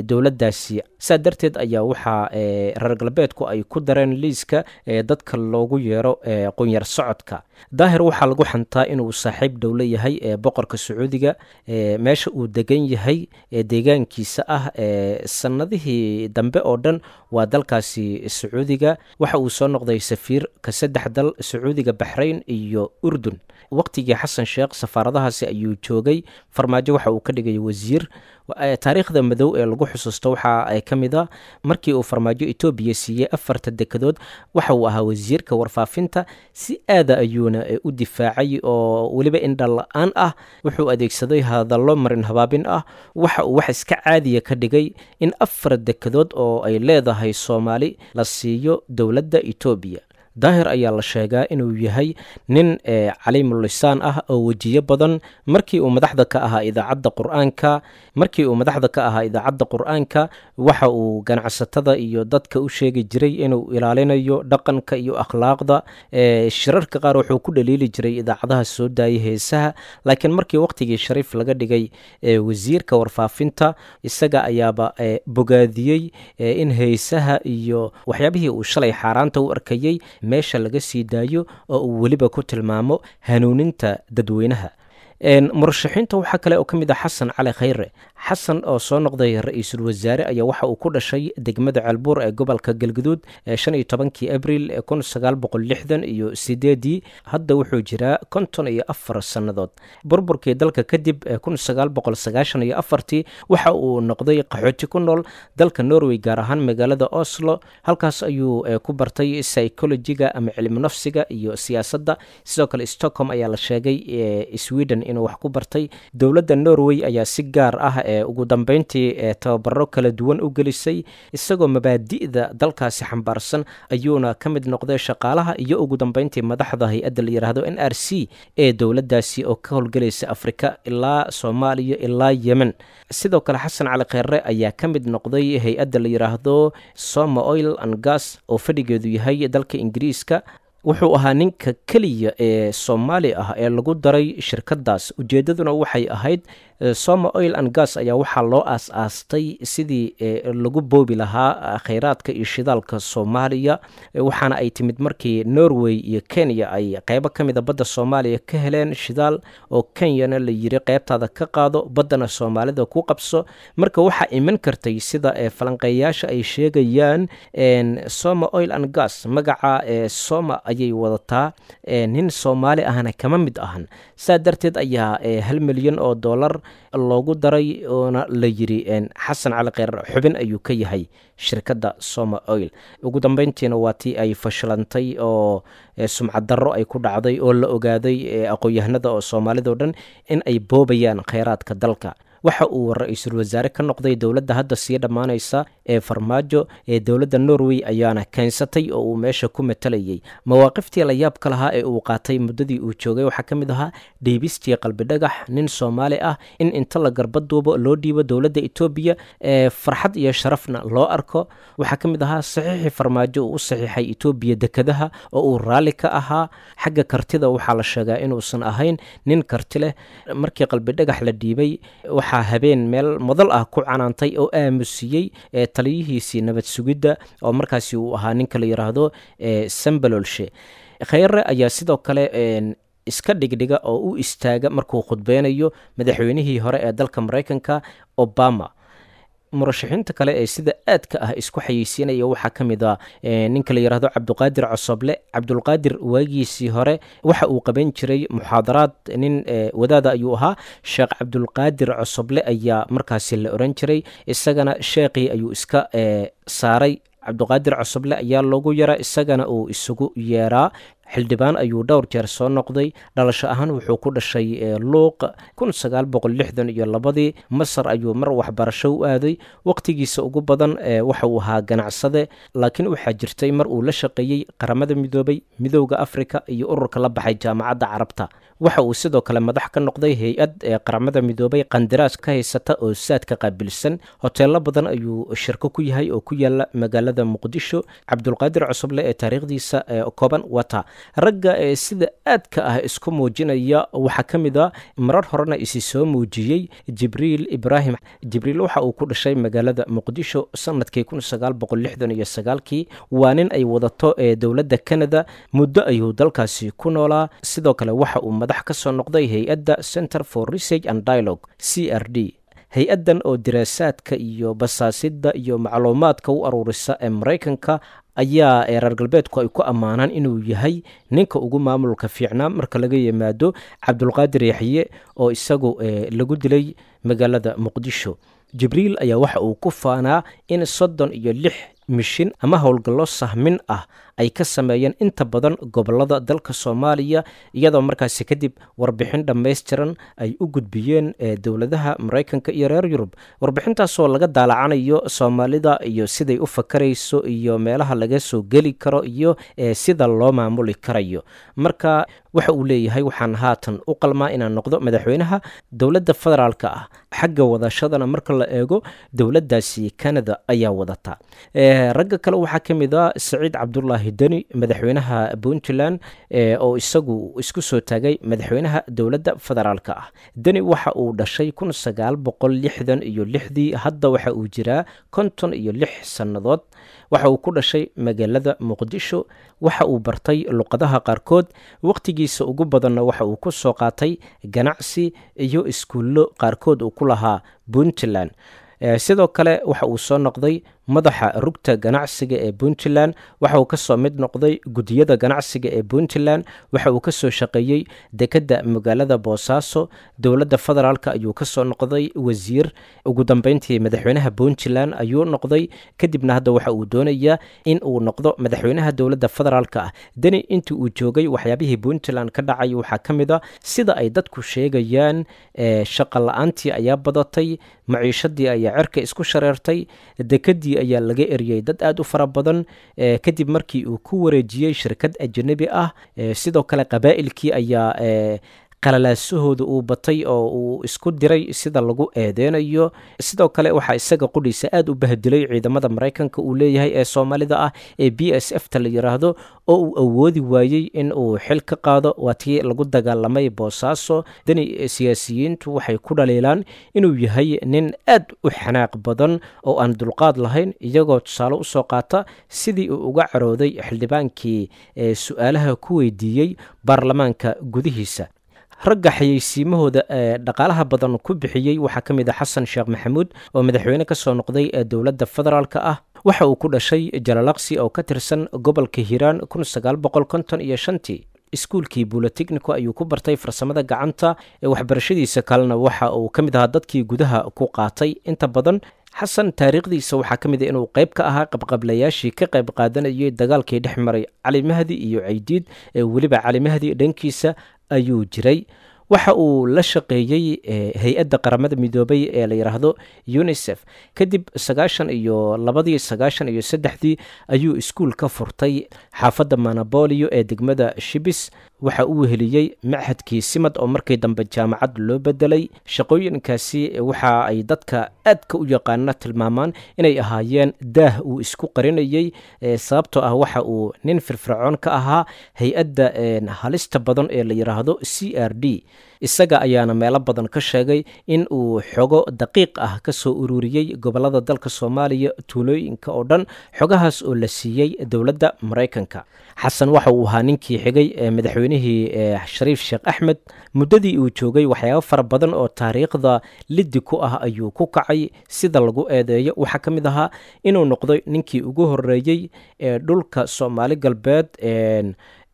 dowladdaasi. Saa darteed ayaa waxaa reer galbeedku ay ku dareen liiska dadka loogu yeero qunyar socodka. Daahir waxaa lagu xantaa inuu saaxiib dhow la yahay boqorka Sacuudiga. Meesha uu degan yahay ee deegaankiisa ah sanadihii dambe oo dhan waa dalkaasi Sacuudiga. Waxa uu soo noqday safiir ka saddex dal, Sacuudiga, Baxrayn iyo Urdun. Waqtigii Xasan Sheekh safaaradahaasi ayuu joogay. Farmaajo waxa uu ka dhigay wasiir. Taariikhda madow ee lagu xusuusto waxa ay ka mid a markii uu Farmaajo Etoobiya siiyey afarta dekedood. Waxa uu ahaa wasiirka warfaafinta, si aada ayuuna u difaacay oo weliba indha la-aan ah. Wuxuu adeegsaday hadallo marin habaabin ah. Waxa uu wax iska caadiya ka dhigay in afar dekedood oo ay leedahay Soomaali la siiyo dowladda Etoobiya. Daahir ayaa la sheegaa inuu yahay nin caliimulisaan ah oo wejiyo badan. Markii uu madaxda ka ahaa idaacadda Qur-aanka, markii uu madaxda ka ahaa idaacadda Qur-aanka, waxa uu ganacsatada iyo dadka u sheegi jiray inuu ilaalinayo dhaqanka iyo akhlaaqda. Shirarka qaar wuxuu ku dhaliili jiray idaacadaha soo daayay heesaha, laakiin markii waqtigii Shariif laga dhigay wasiirka warfaafinta, isaga ayaaba bogaadiyey in heesaha iyo waxyaabihii uu shalay xaaraanta u arkayey meesha laga sii daayo, oo uu weliba ku tilmaamo hanuuninta dadweynaha. Murashaxiinta waxaa kale oo ka mid ah Xasan Cali Khayre. Xasan oo soo noqday ra-iisul wasaare ayaa waxa uu ku dhashay degmada Ceelbuur ee gobolka Galguduud 15-kii Abriil 1968-ii. Hadda wuxuu jiraa 54 sannadood. Burburkii dalka kadib 1994-tii waxa uu noqday qaxooti ku nool dalka Norway, gaar ahaan magaalada Oslo. Halkaas ayuu ku bartay psychologiga ama cilmi nafsiga iyo siyaasadda. Sidoo kale Stockholm ayaa la sheegay, Sweden, inuu wax ku bartay. Dowladda Norway ayaa si gaar ah ugu dambeyntii tababaro kala duwan u gelisay, isagoo mabaadi'da dalkaasi xambaarsan ayuuna ka mid noqday shaqaalaha iyo ugu dambeyntii madaxda hay-adda la yidhaahdo NRC ee dowladdaasi oo ka howlgelaysa Afrika ilaa Soomaaliya ilaa Yemen. Sidoo kale Xasan Cali Kheyre ayaa ka mid noqday hay-adda la yidhaahdo Soma Oil and Gas oo fadhigeedu yahay dalka Ingiriiska. Wuxuu ahaa ninka keliya ee Soomaali ah ee lagu daray shirkadaas. Ujeedaduna waxay ahayd, Soma Oil and Gas ayaa waxaa loo aas-aastay sidii lagu boobi lahaa kheyraadka iyo shidaalka Soomaaliya, waxaana ay timid markii Norway iyo Kenya ay qeybo ka mida badda Soomaaliya ka heleen shidaal, oo Kenyana la yiri qeybtaada ka qaado, baddana Soomaalida ku qabso. Marka waxaa iman kartay, sida falanqeeyaasha ay sheegayaan, Soma Oil and Gas magaca Soma ayay wadataa, nin Soomaali ahna kama mid ahan. Saa darteed ayaa 1 milyan oo dollar loogu daray, oona la yiri Xasan Cali Kheyr xubin ayuu ka yahay shirkadda Soma Oil. Ugu dambeyntiina waa tii ay fashilantay oo sumcad darro ay ku dhacday, oo la ogaaday aqoon-yahanada oo Soomaalidao dhan in ay boobayaan kheyraadka dalka. Waxa uu ra-iisul wasaare ka noqday dowladda hadda sii dhammaanaysa ee Farmaajo ee dowladda Norway ayaana keensatay oo uu meesha ku matalayay. Mawaaqiftii la yaabka lahaa ee uu qaatay muddadii uu joogay waxaa ka mid ahaa dhiibistii Qalbidhagax, nin Soomaali ah in inta la garbaduubo loo dhiibo dowladda Etoobiya, ee farxad iyo sharafna loo arko. Waxaa ka mid ahaa saxiixii Farmaajo uu u saxiixay Etoobiya dekadaha oo uu raalli ka ahaa. Xagga kartida waxaa la sheegaa inuusan ahayn nin karti leh. Markii Qalbidhagax la dhiibay, waxaa habeen meel madal ah ku canaantay oo aamusiyey taliyihiisii nabad sugidda, oo markaasi uu ahaa ninka la yidhaahdo Sambalolshe. Kheyre ayaa sidoo kale iska dhigdhiga oo u istaaga markuu khudbeynayo madaxweynihii hore ee dalka Maraykanka, Obama. Murashaxiinta kale ee sida aadka ah isku xayeysiinaya waxaa ka mid a ninka la yidhaahdo Cabduqaadir Cosoble. Cabdulqaadir waagiisii hore waxa uu qaban jiray muxaadaraad, nin wadaada ayuu ahaa. Sheekh Cabdulqaadir Cosoble ayaa markaasi la oran jiray. Isagana sheekhii ayuu iska saaray, Cabduqaadir Cosoble ayaa loogu yaraa, isagana uu isugu yeeraa. Xildhibaan ayuu dhowr jeer soo noqday. Dhalasho ahaan wuxuu ku dhashay Luuq 1962-dii. Masar ayuu mar waxbarasho u aaday. Waqtigiisa ugu badan waxa uu ahaa ganacsade, laakiin waxaa jirtay mar uu la shaqeeyey Qaramada Midoobay, Midowda Africa iyo ururka la baxay Jaamacadda Carabta. Waxa uu sidoo kale madax ka noqday hay-ad ee Qaramada Midoobay qandaraas ka haysata oo saadka qaabilsan. Hoteelo badan ayuu shirko ku yahay oo ku yaala magaalada Muqdisho. Cabdulqaadir Cusuble ee taariikhdiisa kooban wata. Ragga ee sida aadka ah isku muujinaya waxaa ka mid a, marar horena isi soo muujiyey, Jibriil Ibraahim Jibriil. Waxa uu ku dhashay magaalada Muqdisho sanadkii 1969-kii. Waa nin ay wadato ee dowladda Canada. Muddo ayuu dalkaasi ku noolaa. Sidoo kale waxa uu madax ka soo noqday hay-adda Center for Research and Dialogue, CRD, hay-addan oo diraasaadka iyo basaasidda iyo macluumaadka u aruurisa ee Maraykanka ayaa reer galbeedku ay ku ammaanaan inuu yahay ninka ugu maamulka fiicnaa marka laga yimaado Cabdulqaadir Yaxye oo isagu lagu dilay magaalada Muqdisho. Jibriil ayaa waxa uu ku faanaa in 36 mishin ama howlgallo sahmin ah ay ka sameeyeen inta badan gobolada dalka Soomaaliya, iyadoo markaasi kadib warbixin dhammaystiran ay u gudbiyeen dowladaha Maraykanka iyo reer Yurub, warbixintaasoo laga daalacanayo Soomaalida iyo siday u fakarayso iyo meelaha laga soo geli karo iyo sida loo maamuli karayo. Marka waxa uu leeyahay, waxaan haatan u qalmaa inaan noqdo madaxweynaha dowladda federaalka ah. Xagga wadashadana marka la eego, dowladdaasi Canada ayaa wadata. Ragga kale waxaa ka mid a Saciid Cabdulaahi Cabdulaahi Deni, madaxweynaha Puntland, oo isagu isku soo taagay madaxweynaha dowladda federaalka ah. Deni waxa uu dhashay 1966-dii, hadda waxa uu jiraa 56 sannadood. Waxa uu ku dhashay magaalada Muqdisho. Waxa uu bartay luqadaha qaarkood, waqtigiisa ugu badanna waxa uu ku soo qaatay ganacsi iyo iskuullo qaarkood uu ku lahaa Puntland. Sidoo kale waxa uu soo noqday madaxa rugta ganacsiga ee Puntland, waxa uu kasoo mid noqday gudiyada ganacsiga ee Puntland, waxa uu kasoo shaqeeyey dekedda magaalada Boosaaso, dowladda federaalk ayuu kasoo noqday wasiir, ugu dambeyntii madaxweynaha Puntland ayuu noqday, kadibna hadda waxa uu doonayaa in uu noqdo madaxweynaha dowladda federaalk ah. Deni intii uu joogay waxyaabihii Puntland ka dhacay waxaa ka mid a, sida ay dadku sheegayaan, shaqa la-aantii ayaa badatay, maciishadii ayaa cerka isku shareertay, dekedii ayaa laga eriyey dad aada u fara badan kadib markii uu ku wareejiyey shirkad ajanabi ah. Sidoo kale qabaa'ilkii ayaa qalalaasahooda uu batay oo uu isku diray, sida lagu eedeynayo. Sidoo kale waxaa isaga qudhiisa aada u bahdilay ciidamada Maraykanka uu leeyahay ee Soomaalida ah ee BSF ta la yiraahdo, oo uu awoodi waayey in uu xil ka qaado, waa tii lagu dagaalamay Boosaaso. Deni siyaasiyiintu waxay ku dhaliilaan inuu yahay nin aad u xanaaq badan oo aan dulqaad lahayn, iyagoo tusaale usoo qaata sidii uu uga carooday xildhibaankii ee su-aalaha ku weydiiyey baarlamaanka gudihiisa. Ragga xayeysiimahooda ee dhaqaalaha badan ku bixiyey waxaa ka mid a Xasan Sheekh Maxamuud oo madaxweyne ka soo noqday ee dowladda federaalka ah. Waxa uu ku dhashay Jalalaqsi oo ka tirsan gobolka Hiiraan 1955-tii. Iskuulkii Buloteknico ayuu ku bartay farsamada gacanta. Waxbarashadiisa kalena waxa uu ka mid ahaa dadkii gudaha ku qaatay inta badan. Xasan taariikhdiisa waxaa ka mid a inuu qayb ka ahaa qabqablayaashii ka qayb qaadanayay dagaalkii dhex maray Cali Mahdi iyo Caydiid, ee weliba Cali Mahdi dhankiisa ayuu jiray. Waxa uu la shaqeeyey hay-adda Qaramada Midoobay ee la yidhaahdo UNICEF. Kadib 92-dii, 93-dii ayuu iskuul ka furtay xaafadda Manabolio ee degmada Shibis. Waxa uu weheliyey machadkii Simad oo markii dambe jaamacad loo bedelay. Shaqooyinkaasi waxa ay dadka aadka u yaqaana tilmaamaan inay ahaayeen daah uu isku qarinayey, sababtoo ah waxa uu nin firfircoon ka ahaa hay-adda halista badan ee la yidhaahdo CRD. Isaga ayaana meelo badan ka sheegay in uu xogo daqiiq ah ka soo ururiyey gobolada dalka Soomaaliya, tuulooyinka oo dhan, xogahaas oo la siiyey dowladda Maraykanka. Xasan waxa uu ahaa ninkii xigay ee madaxweynihii Shariif Sheekh Axmed. Muddadii uu joogay waxyaabo fara badan oo taariikhda liddi ku ah ayuu ku kacay, sida lagu eedeeyo. Waxaa ka mid ahaa inuu noqday ninkii ugu horeeyey ee dhulka Soomaali Galbeed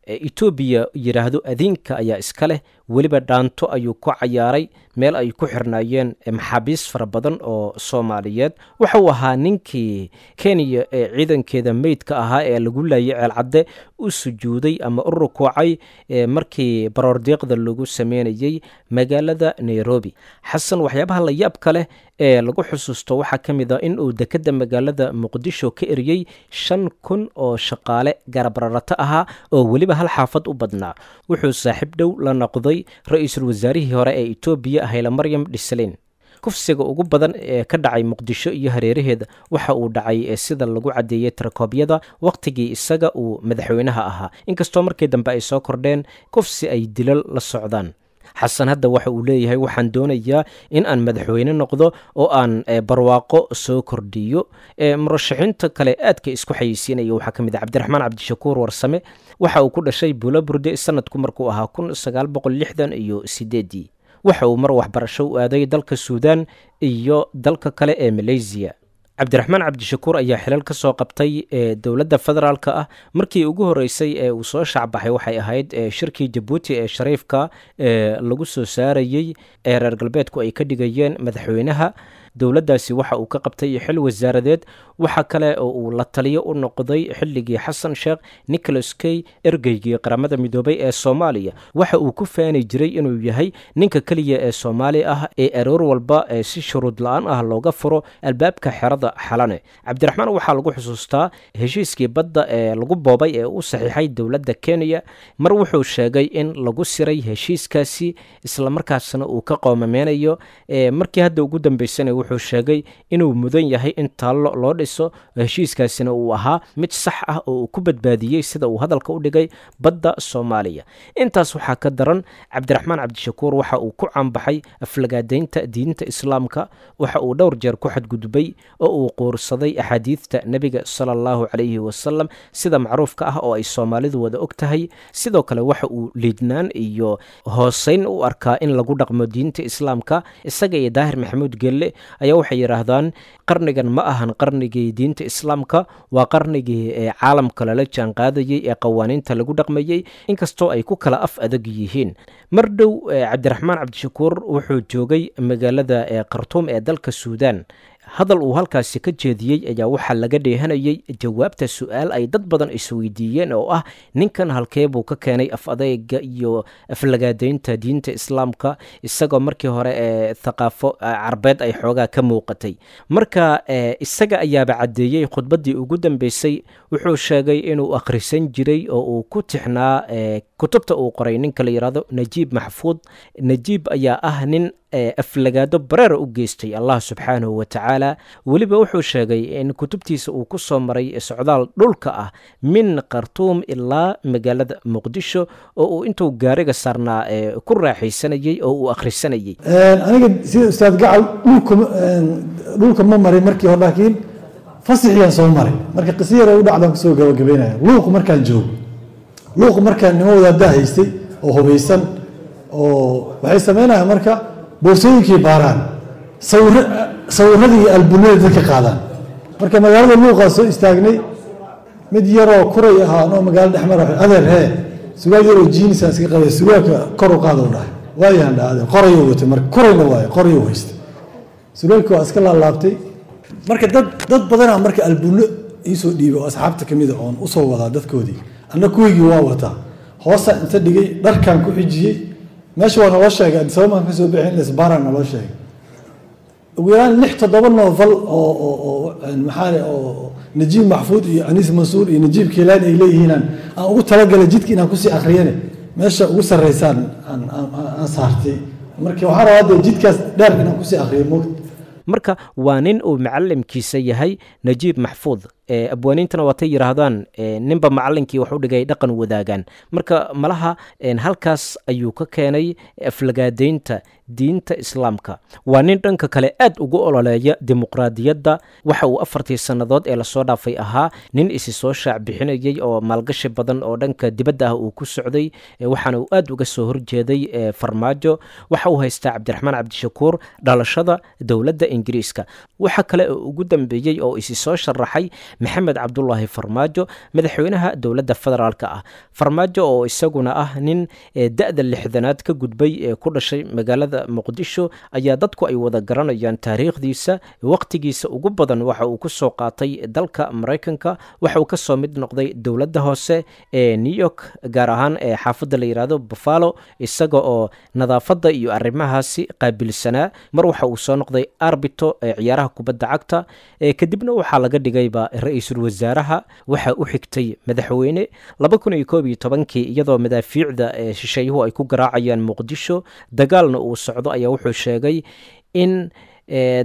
Etoobiya yidhaahdo adiinka ayaa iska leh. Weliba dhaanto ayuu ku cayaaray meel ay ku xirnaayeen maxaabiis fara badan oo Soomaaliyeed. Waxa uu ahaa ninkii Kenya ee ciidankeeda meydka ahaa ee lagu laayay Ceelcadde u sujuuday ama u rukuucay markii baroordiiqda lagu sameynayey magaalada Nairobi. Xasan waxyaabaha la yaabka leh ee lagu xusuusto waxaa ka mid a in uu dekedda magaalada Muqdisho ka eriyey 5000 oo shaqaale garabrarato ahaa oo weliba hal xaafad u badnaa. Wuxuu saaxiib dhow la noqday ra-iisul wasaarihii hore ee Etoobiya, Haylamaryam Dhislin. Kufsiga ugu badan ee ka dhacay Muqdisho iyo hareeraheeda waxa uu dhacay, sida lagu caddeeyey tirakoobyada, wakhtigii isaga uu madaxweynaha ahaa, inkastoo markii dambe ay soo kordheen kufsi ay dilal la socdaan. Xasan hadda waxa uu leeyahay waxaan doonayaa in aan madaxweyne noqdo oo aan barwaaqo soo kordhiyo. Murashaxiinta kale aadka isku xayeysiinaya waxaa ka mid ah Cabdiraxmaan Cabdishakuur Warsame. Waxa uu ku dhashay Buulaburde sanadku markuu ahaa 1968-dii. Waxa uu mar waxbarasho u aaday dalka Suudaan iyo dalka kale ee Malaysiya. Cabdiraxmaan Cabdishakuur ayaa xilal ka soo qabtay dowladda federaalka ah. Markii ugu horeysay ee uu soo shacbaxay waxay ahayd shirkii Jabuuti ee Shariifka lagu soo saarayey ee reer galbeedku ay ka dhigayeen madaxweynaha dowladdaasi. Waxa uu ka qabtay xil wasaaradeed. Waxa kale oo uu la taliyo u noqday xilligii Xasan Sheekh Nicholas Kay, ergeygii Qaramada Midoobay ee Soomaaliya. Waxa uu ku faani jiray inuu yahay ninka keliya ee Soomaali ah ee aroor walba ee si shuruud la-aan ah looga furo albaabka xerada Xalane. Cabdiraxmaan waxaa lagu xusuustaa heshiiskii badda ee lagu boobay ee u saxiixay dowladda Kenya. Mar wuxuu sheegay in lagu siray heshiiskaasi, islamarkaasna uu ka qoomameynayo. Markii hadda ugu dambeysana Wuxuu sheegay inuu mudan yahay in taallo loo dhiso, heshiiskaasina uu ahaa mid sax ah oo uu ku badbaadiyey, sida uu hadalka u dhigay, badda Soomaaliya. Intaas waxaa ka daran, Cabdiraxmaan Cabdishakuur waxa uu ku caanbaxay aflagaadaynta diinta Islaamka. Waxa uu dhowr jeer ku xadgudbay oo uu quursaday axaadiidta Nebiga sala Allahu calayhi wasalam, sida macruufka ah oo ay Soomaalidu wada og tahay. Sidoo kale waxa uu liidnaan iyo hooseyn u arkaa in lagu dhaqmo diinta Islaamka. Isaga iyo Daahir Maxamuud Gelle ayaa waxay yidhaahdaan qarnigan ma ahan qarnigii diinta Islaamka, waa qarnigii ee caalamka lala jaan qaadayey ee qawaaniinta lagu dhaqmayey, inkastoo ay ku kala af adag yihiin. Mar dhow Cabdiraxmaan Cabdishakuur wuxuu joogay magaalada Khartuum ee dalka Suudaan. Hadal uu halkaasi ka jeediyey ayaa waxaa laga dheehanayey jawaabta su-aal ay dad badan isweydiiyeen oo ah: ninkan halkee buu ka keenay af adeyga iyo aflagaadaynta diinta Islaamka, isagoo markii hore ee thaqaafo Carbeed ay xoogaa ka muuqatay? Marka isaga ayaaba caddeeyey. Khudbaddii ugu dambeysay wuxuu sheegay inuu akhrisan jiray oo uu ku tixnaa kutubta uu qoray ninka la yidhaahdo Najiib Maxfuud. Najiib ayaa ah nin aflagaado bareera u geystay Allah subxaanahu wa tacaala. Weliba wuxuu sheegay in kutubtiisa uu ku soo maray socdaal dhulka ah min Khartuum ilaa magaalada Muqdisho, oo uu intuu gaariga saarnaa ku raaxaysanayey oo uu akhrisanayey. Aniga sida Ustaad Gacal dhulka ma marin markii hore, laakiin fasixiyaan soo maray. Marka qisa yar u dhacdaan kusoo gabagabeynaya. Luuq markaan joogo, Luuq markaan nimo wadaadaa haystay oo hubaysan oo waxay sameynayaan marka boorsooyinkii baaraan, sawiradii iyo albunada dadka qaadaan. Marka magaalada Luuqaa soo istaagnay, mid yaroo kuray ahaa anoo magaalo dhex mara: "Adeer hee, surwaal yaroo jiinisaan iska qabay, surwaalka kor u qaada," u dhahay. "Waayaan," dhaha adeer. Qorayuu watay marka, kurayna waayo, qorayuu haystay, surwaalkii waa iska laalaabtay. Marka dad badanaa marka albuno iisoo dhiibay oo asxaabta kamida oon usoo wadaa dadkoodii, anna kuwigii waa wataa, hoosaan inta dhigay, dharkaan ku xijiyey. Meesha waa naloo sheegay, Addis Ababa maan kasoo bixin lisbaara naloo sheegay. Ugu yaraan lix toddoba novel oo maxaa oo Najiib Maxfuud iyo Aniis Mansuur iyo Najiib Kiilaani ay leeyihiinaan aan ugu talagalay jidka inaan kusii akhriyane, meesha ugu sarreysaan aan saartay. Marka waxaan rabaa dee jidkaas dheer inaan kusii akhriyo moogta. Marka waa nin uu macalimkiisa yahay Najiib Maxfuud. Abwaaniintana waatay yidhaahdaan ninba macalinkii wax u dhigay dhaqan wadaagaan. Marka malaha halkaas ayuu ka keenay aflagaadaynta diinta Islaamka. Waa nin dhanka kale aad ugu ololeeya dimuqraadiyadda. Waxa uu 4tii sannadood ee lasoo dhaafay ahaa nin isi soo shaac bixinayey oo maalgashi badan oo dhanka dibadda ah uu ku socday, waxaana uu aad uga soo horjeeday Farmaajo. Waxa uu haystaa Cabdiraxmaan Cabdishakuur dhalashada dowladda Ingiriiska. Waxa kale oo ugu dambeeyey oo isi soo sharaxay Maxamed Cabdulaahi Farmaajo, madaxweynaha dowladda federaalka ah. Farmaajo oo isaguna ah nin da-da 60aad ka gudbay ee ku dhashay magaalada Muqdisho ayaa dadku ay wada garanayaan taariikhdiisa. Waqtigiisa ugu badan waxa uu ku soo qaatay dalka Maraykanka. Waxa uu kasoo mid noqday dowladda hoose ee New York, gaar ahaan ee xaafadda la yidhaahdo Buffalo, isaga oo nadaafadda iyo arrimahaasi qaabilsanaa. Mar waxa uu soo noqday arbito ee ciyaaraha kubadda cagta, kadibna waxaa laga dhigayba ra-iisul wasaaraha, waxaa u xigtay madaxweyne 2011kii, iyadoo madaafiicda shisheeyuhu ay ku garaacayaan Muqdisho, dagaalna uu socdo, ayaa wuxuu sheegay in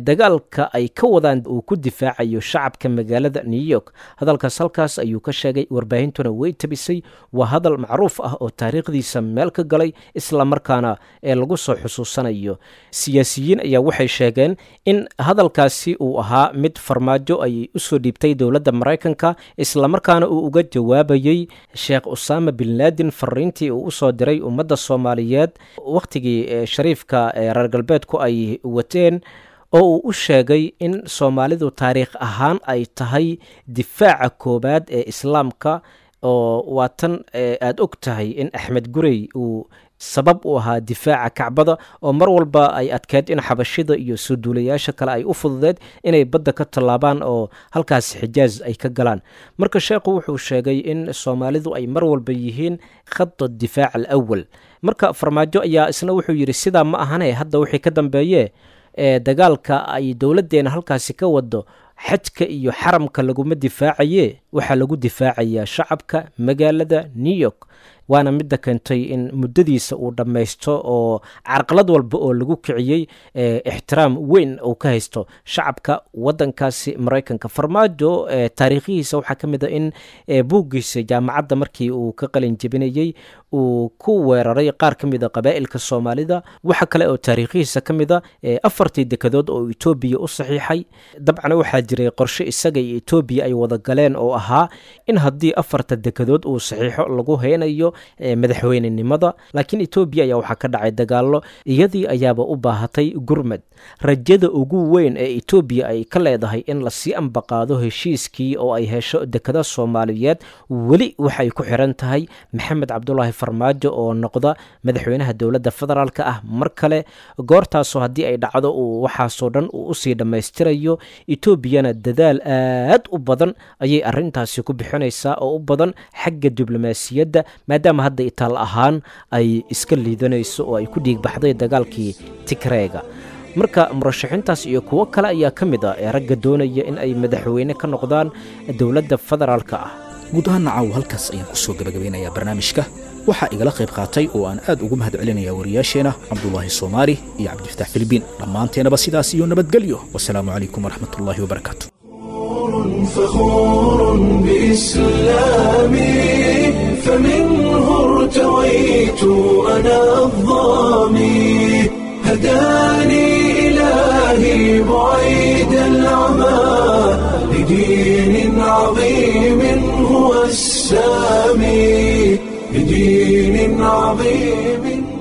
dagaalka ay ka wadaan uu ku difaacayo shacabka magaalada New York. Hadalkaas halkaas ayuu ka sheegay, warbaahintuna way tabisay. Waa hadal macruuf ah oo taariikhdiisa meel ka galay, isla markaana ee lagu soo xusuusanayo. Siyaasiyiin ayaa waxay sheegeen in hadalkaasi uu ahaa mid Farmaajo ay usoo dhiibtay dowladda Maraykanka, islamarkaana uu uga jawaabayey Sheekh Usaama bin Laadin fariintii uu usoo diray ummadda Soomaaliyeed wakhtigii shariifka reer galbeedku ay wateen, oo uu u sheegay in Soomaalidu taariikh ahaan ay tahay difaaca koowaad ee Islaamka, oo waa tan aada og tahay in Axmed Gurey uu sabab u ahaa difaaca Kacbada, oo mar walba ay adkeed in Xabashida iyo soo duulayaasha kale ay u fududeed inay badda ka tallaabaan oo halkaas Xijaaz ay ka galaan. Marka sheekhu wuxuu sheegay in Soomaalidu ay mar walba yihiin khada difaac alawal. Marka Farmaajo ayaa isna wuxuu yidhi sidaa ma ahane, hadda wixii ka dambeeye ee dagaalka ay dowladdeena halkaasi ka wado xajka iyo xaramka laguma difaacaye. Waxaa lagu difaacayaa shacabka magaalada New York, waana midda keentay in muddadiisa uu dhammaysto oo carqalad walba oo lagu kiciyey ixtiraam weyn uu ka haysto shacabka waddankaasi Maraykanka. Farmaajo taariikhihiisa waxaa ka mid a in buuggiisa jaamacadda markii uu ka qalin jebinayey uu ku weeraray qaar ka mid a qabaa'ilka Soomaalida. Waxa kale oo taariikhihiisa ka mid a 4tii dekadood oo Etoobiya u saxiixay. Dabcan waxaa jiray qorshe isaga iyo Etoobiya ay wada galeen oo ahaa in haddii 4ta dekadood uu saxiixo lagu heynayo madaxweynenimada, laakiin Etoobiya ayaa waxaa ka dhacay dagaallo, iyadii ayaaba u baahatay gurmad. Rajada ugu weyn ee Etoobiya ay ka leedahay in lasii ambaqaado heshiiskii oo ay hesho dekada Soomaaliyeed weli waxay ku xiran tahay Maxamed Cabdulaahi Farmaajo oo noqda madaxweynaha dowladda federaalka ah mar kale. Goortaasoo haddii ay dhacdo uu waxaasoo dhan uu usii dhammaystirayo, Etoobiyana dadaal aad u badan ayay arrintaasi ku bixinaysaa oo u badan xagga diblomaasiyadda, maadaama hadda itaal ahaan ay iska liidanayso oo ay ku dhiigbaxday dagaalkii Tigreega. Marka murashaxiintaas iyo kuwo kale ayaa ka mid ah ee ragga doonaya in ay madaxweyne ka noqdaan dowladda federaalka ah. Guud ahaan nacaaw halkaas ayaan ku soo gabagabeynayaa barnaamijka. Waxaa igala qayb qaatay oo aan aad ugu mahad celinayaa wariyaasheena Cabdulaahi Soomaali iyo Cabdifataax Filibiin. Dhammaanteenaba sidaas iyo nabadgelyo. Wasalaamu calaykum waraxmatullaahi wabarakaatu. فخور بإسلامي، فمنه ارتويت أنا الظامي، هداني إلهي بعيد العمى لدين عظيم هو السامي، لدين عظيم.